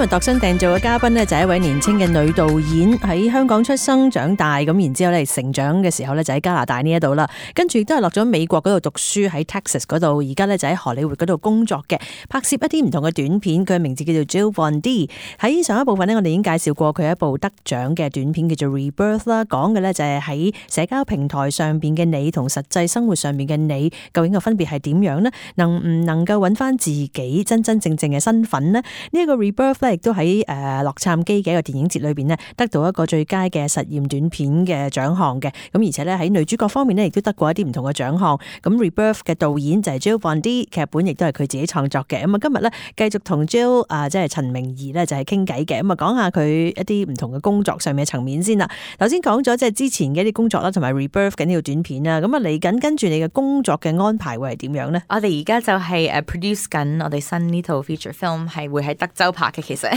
日度身訂做嘅嘉賓呢，就係一位年輕嘅女導演，喺香港出生長大，咁然之後咧成長嘅時候咧就喺加拿大呢一度啦，跟住亦都係落咗美國嗰度讀書，喺 Texas 嗰度，而家咧就喺荷里活嗰度工作嘅，拍攝一啲唔同嘅短片。佢嘅名字叫做 Jill Von D。喺上一部分呢，我哋已經介紹過佢一部得獎嘅短片叫做 Rebirth 啦，講嘅咧就係喺社交平台上邊嘅你同實際生活上面嘅你，究竟個分別係點樣呢？能唔能夠揾翻自己真真正正嘅身份呢？呢一個 Rebirth 咧，亦都喺洛杉磯嘅一個電影節裏邊呢，得到一個最佳嘅實驗短片嘅獎項嘅。咁而且咧喺女主角方面呢，亦都得過一啲唔同嘅獎項。咁 Rebirth 嘅導演就係 Jill Von D， 劇本亦都係佢自己創作嘅。咁啊，今日咧繼續同 Jill 即係陳明儀咧就係傾偈嘅。咁啊，講下佢一啲唔同嘅工作上面嘅層面先啦。頭先講咗即係之前嘅一啲工作啦，同埋 Rebirth 緊呢條短片啦。咁啊，嚟緊跟住你嘅工作嘅安排會係點樣呢？我哋而家就係produce 緊我哋新呢套 feature film， 係會喺德州拍嘅。其實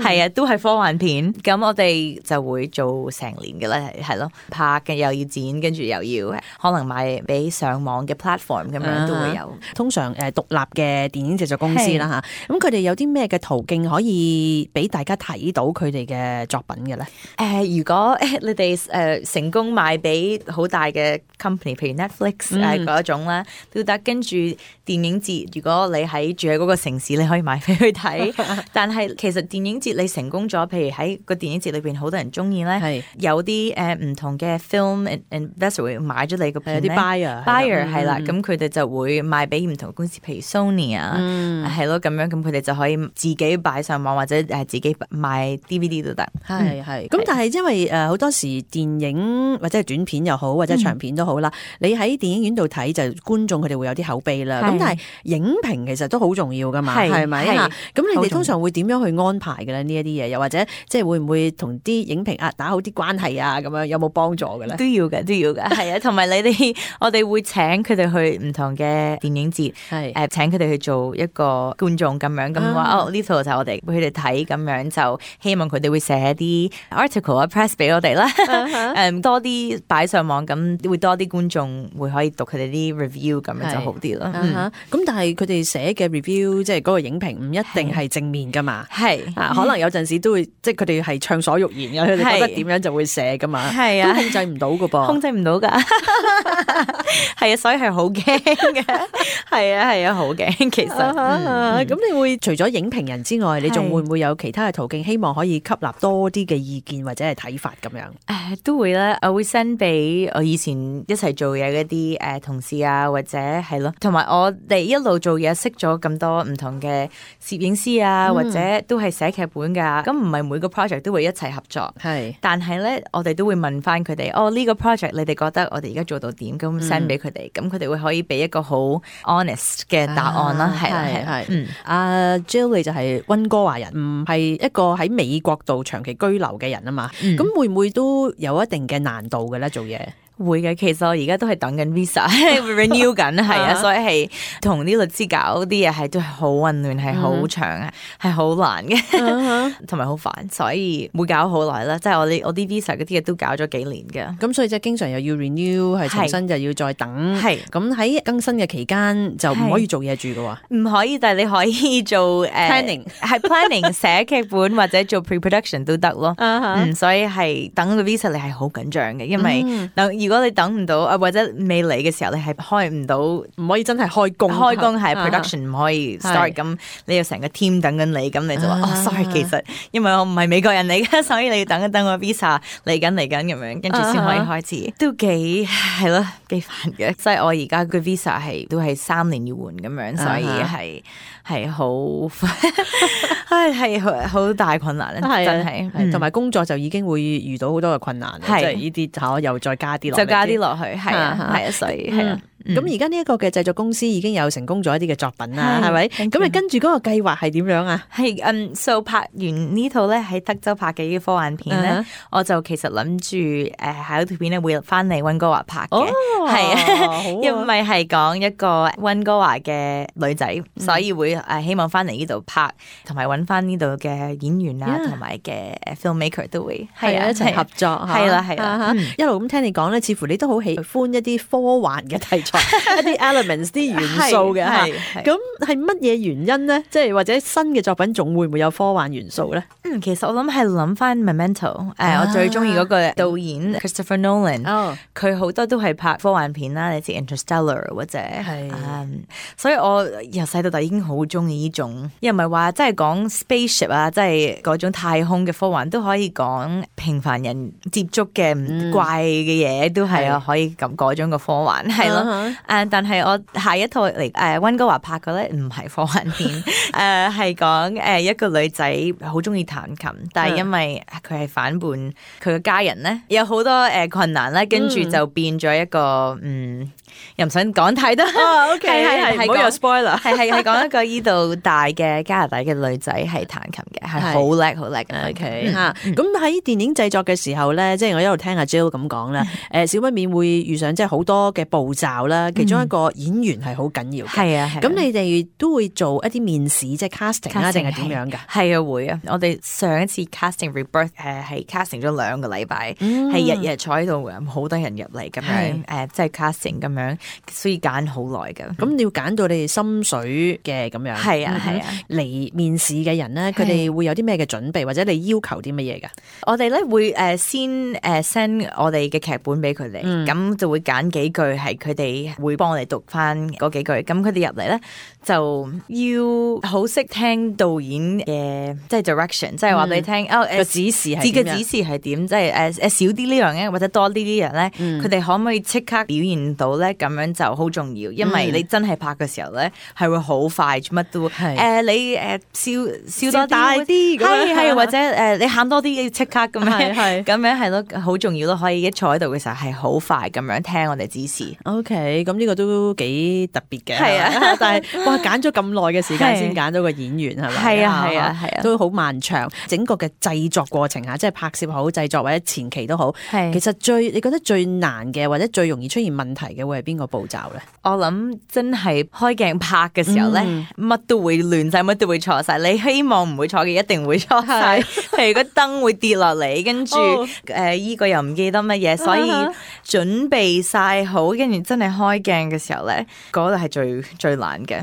係啊，都係科幻片。咁我哋就會做成年嘅啦，係咯，拍嘅又要剪，跟住又要可能賣俾上網嘅 platform 咁樣都會有。通常獨立嘅電影製作公司啦嚇，咁佢哋有啲咩嘅途徑可以俾大家睇到佢哋嘅作品嘅咧？如果你哋成功賣俾好大嘅 company， 譬如 Netflix 嗰種啦，都得。跟住電影節，如果你住喺嗰個城市，你可以買飛去睇。但係其實電影節你成功咗，譬如喺個電影節裏邊好多人中意咧，有啲唔同嘅 film investor 會買咗你個片咧，有啲 buyer 係啦，咁佢哋就會賣俾唔同公司，譬如 Sony 啊，係咯咁樣，咁佢哋就可以自己擺上網或者自己賣 DVD 都得。係。咁但係因為好多時電影或者係短片又好，或者長片都好啦，你喺電影院度睇就觀眾佢哋會有啲口碑啦。咁但係影評其實都好重要噶嘛，係咪啊？咁你哋通常會點樣去安排嘅咧？呢一啲嘢，又或者即係會唔會同啲影評打好啲關係啊？咁樣有冇幫助嘅咧？都要嘅，係啊。同埋我哋會請佢哋去唔同嘅電影節，請佢哋去做一個觀眾咁樣，咁話呢套就我哋俾佢哋睇，咁樣就希望佢哋會寫啲 article 啊 press 俾我哋啦，多啲擺上網，咁會多啲觀眾會可以讀佢哋啲 review， 咁樣就好啲咯。咁但係佢哋寫嘅 review 即係嗰個影評唔一定係正面噶嘛，可能有陣時都會即係佢哋係暢所欲言嘅，佢哋覺得點樣就會寫噶嘛，都控制唔到噶噃，控制唔到噶，係啊，所以係好驚嘅，係啊，好驚其實。咁你會除咗影評人之外，你仲會唔會有其他嘅途徑，希望可以吸納多啲嘅意見或者係睇法咁樣？都會啦，我會 send 俾我以前一齊做嘢嗰啲同事啊，或者係咯，同埋我哋一路做嘢識咗咁多唔同嘅攝影師啊，或者都係寫劇本噶，咁唔係每個 project 都會一齊合作，但係咧我哋都會問翻佢哋，呢個 project 你哋覺得我哋而家做到點？咁 send 俾佢哋，咁佢哋會可以俾一個好 honest 嘅答案啦，係。阿 Jill 你就係溫哥華人，唔係一個喺美國度長期居留嘅人啊嘛，咁會唔會都有一定嘅難度嘅咧做嘢？會嘅，其實我而家都係等緊 visa renew 緊，係啊，所以係同啲律師搞啲嘢係都係好混亂，係好長啊，係好難嘅，同埋好煩，所以會搞好耐啦。即係我啲 visa 嗰啲嘢都搞咗幾年嘅，咁所以即係經常又要 renew， 係重新就要再等。係咁喺更新嘅期間就唔可以做嘢住嘅喎，唔可以，但係你可以做planning， 係 planning 寫劇本或者做 pre-production 都得咯。所以係等個 visa 你係好緊張嘅，因為如果你等唔到或者未嚟嘅時候，你係開唔到，唔可以真係開工係 production 唔可以 start， 咁你有成個 team 等緊你，咁你就話sorry， 其實因為我唔係美國人嚟嘅，所以你要等一等個 visa 嚟緊咁樣，跟住先可以開始，都幾係咯，幾煩嘅。所以我而家個 visa 都係3年要換咁樣，所以係好係好大困難咧，真係。同埋工作就已經會遇到好多嘅困難，即係呢啲又再加啲落，就加啲落去，係啊，所以係啊。咁而家呢一個嘅製作公司已經有成功咗一啲嘅作品啦，係咪？咁你跟住嗰個計劃係點樣啊？係so 拍完呢套咧喺德州拍嘅呢啲科幻片咧，我就其實諗住下一條片咧會翻嚟溫哥華拍嘅，係啊，因為係講一個溫哥華嘅女仔，所以會希望翻嚟呢度拍，同埋揾翻呢度嘅演員啊，同埋嘅 filmmaker 都會係啊一齊合作，係啦，一路咁聽你講咧，似乎你都好喜歡一啲科幻嘅題材。一啲 elements 啲元素嘅嚇。咁係乜嘢原因咧？即係或者新嘅作品仲會唔會有科幻元素咧？其實我諗係諗翻 Memento，我最中意嗰個導演 Christopher Nolan，佢好多都係拍科幻片啦，你知 Interstellar 或者所以我由細到大已經好中意呢種，又唔係話真係講 spaceship 啊，即係嗰種太空嘅科幻，都可以講平凡人接觸嘅唔怪嘅嘢，都係可以咁嗰種嘅科幻係咯。但係我下一套嚟溫哥華拍嘅咧唔係科幻片，係講一個女仔好中意彈琴，但係因為佢係反叛佢嘅家人咧，有好多困難咧，跟住就變咗一個又唔想講太多。OK， 係唔好有 spoiler。係講一個依度大嘅加拿大嘅女仔係彈琴嘅，係好叻好叻嘅。OK 嚇，咁喺電影製作嘅時候咧，即係我一路聽阿 Jill 咁講啦，少不免會遇上即係好多嘅步驟啦。其中一個演員係好緊要嘅。係啊，咁你哋都會做一啲面試，即係 casting 啦，定係點樣㗎？係啊，會啊。我哋上一次 casting Rebirth 係 casting 咗2個禮拜，係日日坐喺度嘅，好多人入嚟咁樣即係 casting 咁樣，所以揀好耐㗎。咁你要揀到你哋心水嘅咁樣。係啊嚟面試嘅人咧，佢哋會有啲咩嘅準備，或者你要求啲乜嘢㗎？我哋咧會先send 我哋嘅劇本俾佢哋，咁就會揀幾句係佢哋會幫我哋讀翻嗰幾句，咁佢哋入嚟咧就要好識聽導演嘅即係 direction， 即係話俾你聽個指示係點，即係少啲呢樣嘅或者多啲呢樣咧，佢哋可唔可以即刻表現到咧？咁樣就好重要，因為你真係拍嘅時候咧係會好快，乜都你笑多大啲，係或者你喊多啲即刻咁樣，咁樣係咯，好重要咯，可以一坐喺度嘅時候係好快咁樣聽我哋指示。OK，咁呢個都幾特別嘅。係啊，但係哇，揀咗咁耐嘅時間先揀到個演員係咪？係啊，都好漫長。整個嘅製作過程下，即係拍攝好、製作或者前期都好。其實你覺得最難嘅或者最容易出現問題嘅會係邊個步驟咧？我諗真係開鏡拍嘅時候咧，乜都會亂晒，乜都會錯晒。你希望唔會錯嘅，一定會錯晒。譬如個燈會跌落嚟，跟住依個又唔記得乜嘢，所以準備晒好，跟住真係開鏡嘅時候咧，嗰度係最難嘅。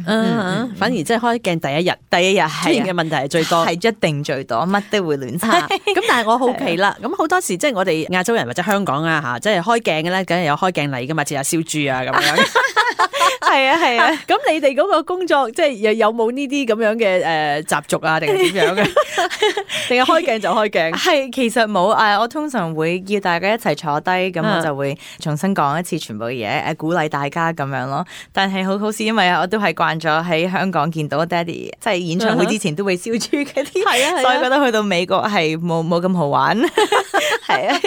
反而即係開鏡第一日出現嘅問題係最多，係一定最多，乜都會亂晒。咁但係我好奇啦，咁好多時即係我哋亞洲人或者香港啊嚇，即係開鏡嘅咧，梗係有開鏡禮噶嘛，似下燒豬啊咁樣。係啊，咁你哋嗰個工作即係有冇呢啲咁樣嘅習俗啊，定係點樣嘅？定係開鏡就開鏡？係其實冇我通常會叫大家一齊坐低，咁我就會重新講一次全部嘅嘢，鼓勵大家咁樣咯。但係好似因為我都係慣咗喺香港見到爹哋，即係演唱會之前都會燒豬嗰啲，所以覺得去到美國係冇咁好玩。係啊，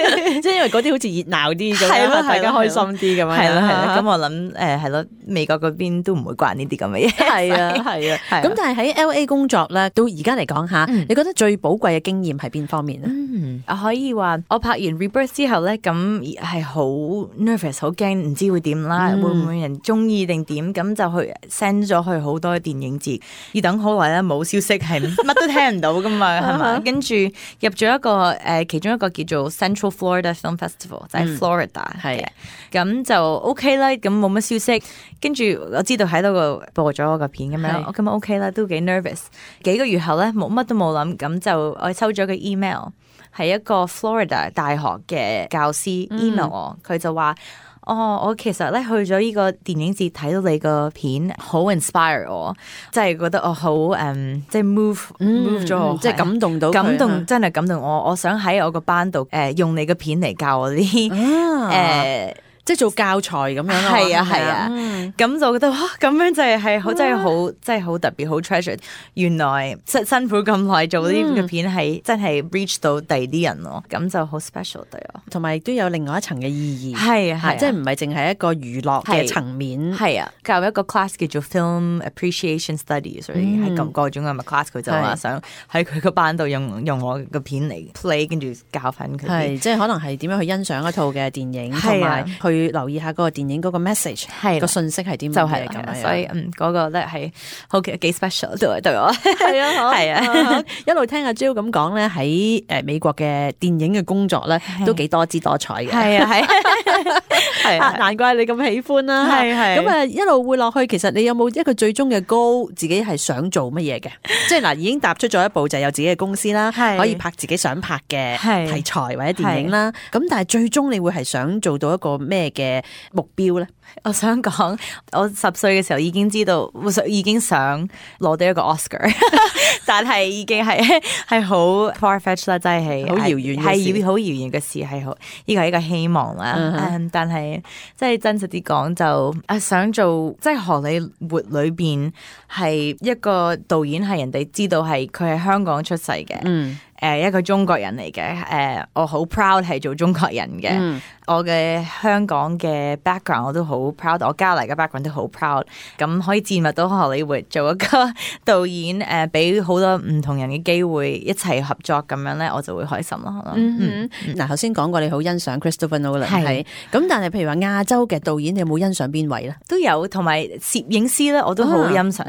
即係因為嗰啲好似熱鬧啲咁樣，大家開心啲咁樣。係啦，咁我諗係咯，美國嗰邊都唔會慣呢啲咁嘅嘢。係啊。咁但係喺 LA 工作咧，到而家嚟講下，你覺得最寶貴嘅經驗係邊方面咧？我可以話我拍完 Rebirth 之後咧，咁係好 nervous， 好驚，唔知會點啦，會唔會人中意定點？咁就去 send 咗去好多電影節，要等好耐啦，冇消息，係乜都聽唔到噶嘛，係嘛？跟住入咗一個其中一個叫做 Central Florida Film Festival，就喺 Florida 嘅，咁就 OK 啦，咁冇乜消息。跟住我知道喺度個播咗我個片咁樣，我咁 OK 啦，都幾 nervous。幾個月後咧，乜都冇諗，咁就我收咗個 email， 係一個 Florida 大學嘅教師 email 我，佢就話：我其實咧去咗呢個電影節睇到你個片，好 inspire 我，即係覺得我好即係 move 咗我，即係感動到佢，真係感動我。我想喺我個班度用你個片嚟教我啲即係做教材咁樣咯。係啊，咁就覺得哇，咁樣就係好真係好特別，好 treasure。原來辛苦咁耐做呢個片係真係 reach 到第二啲人咯，咁就好 special 對我。同埋亦都有另外一層嘅意義。係啊，即係唔係淨係一個娛樂嘅層面。係啊，教一個 class 叫做 Film Appreciation Studies， 所以係咁各種嘅 class， 佢就話想喺佢個班度用我個片嚟 play， 跟住教翻佢。係即係可能係點樣去欣賞一套嘅電影，同埋去去留意下嗰個電影嗰個 message 係個信息係點就樣嘅咁樣。所以嗰個咧係好幾 special 對我。係啊，係啊，一路聽阿 Jill 咁講咧，喺美國嘅電影嘅工作咧，都幾多姿多彩嘅。係啊，係啊，難怪你咁喜歡啦。係咁啊，一路會落去，其實你有冇一個最終嘅 goal，自己係想做乜嘢嘅？即係嗱，已經踏出咗一步，就有自己嘅公司啦，可以拍自己想拍嘅題材或者電影啦。咁但係最終你會係想做到一個咩嘅目標咧？我想講，我10歲嘅時候已經知道，已經想攞到一個 Oscar， 但係已經係好 far-fetched 啦，真係好遙遠嘅事，係好遙遠嘅事，係好呢個係一個希望啦。但係即係真實啲講，就想做即係荷里活裏邊係一個導演，係人哋知道係佢係香港出世嘅。一個中國人嚟嘅，我好 proud 係做中國人嘅。我嘅香港嘅 background 我都好 proud， 我加拿大嘅 background 都好 proud。咁可以進入到荷里活做一個導演，俾好多唔同人嘅機會一齊合作咁樣咧，我就會開心咯。嗱，頭先講過你好欣賞 Christopher Nolan 係，咁但係譬如話亞洲嘅導演，你有冇欣賞邊位咧？都有，同埋攝影師咧，我都好欣賞。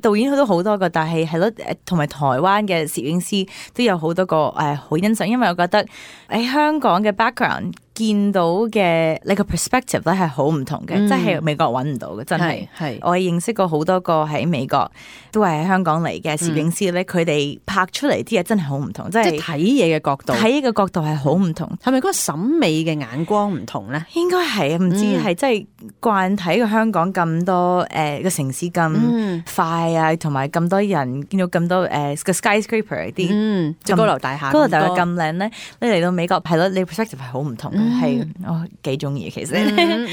導演佢都好多個，但係咯，同埋台灣嘅攝影師都有好多個好欣賞，因為我覺得喺香港嘅 background 見到嘅你個 perspective 咧係好唔同嘅，即係美國揾唔到嘅，真係。我認識過好多個喺美國都係喺香港嚟嘅攝影師咧，佢哋拍出嚟啲嘢真係好唔同，即係睇嘢嘅角度，睇嘅角度係好唔同。係咪嗰個審美嘅眼光唔同咧？應該係，唔知係即係慣睇個香港咁多個城市咁快啊，同埋咁多人見到咁多個 skyscraper 啲高樓大廈，高樓大廈咁靚咧，你嚟到美國係咯，你 perspective 係好唔同嘅，係我幾中意其實。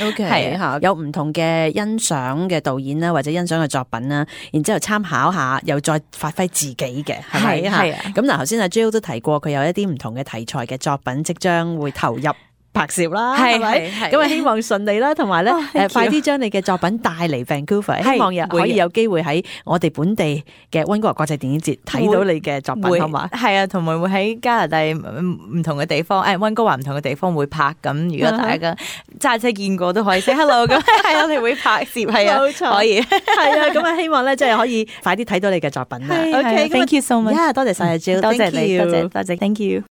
OK， 係有唔同嘅欣賞嘅導演啦，或者欣賞嘅作品啦，然之後參考下，又再發揮自己嘅，係咪？係啊。咁嗱，頭先阿 Jill 都提過，佢有一啲唔同嘅題材嘅作品即將會投入拍攝啦，係咪？咁啊，希望順利啦，同埋咧，快啲將你嘅作品帶嚟 Vancouver，希望可以有機會喺我哋本地嘅溫哥華國際電影節睇到你嘅作品，好嘛？係啊，同埋會喺加拿大唔同嘅地方，溫哥華唔同嘅地方會拍。咁如果大家揸車見過都可以 say hello 咁，係我哋會拍攝，係啊，冇錯，可以，係啊，咁啊，希望咧即係可以快啲睇到你嘅作品啦。OK，thank you so much，多謝晒阿 Jill，多謝你，多謝，thank you。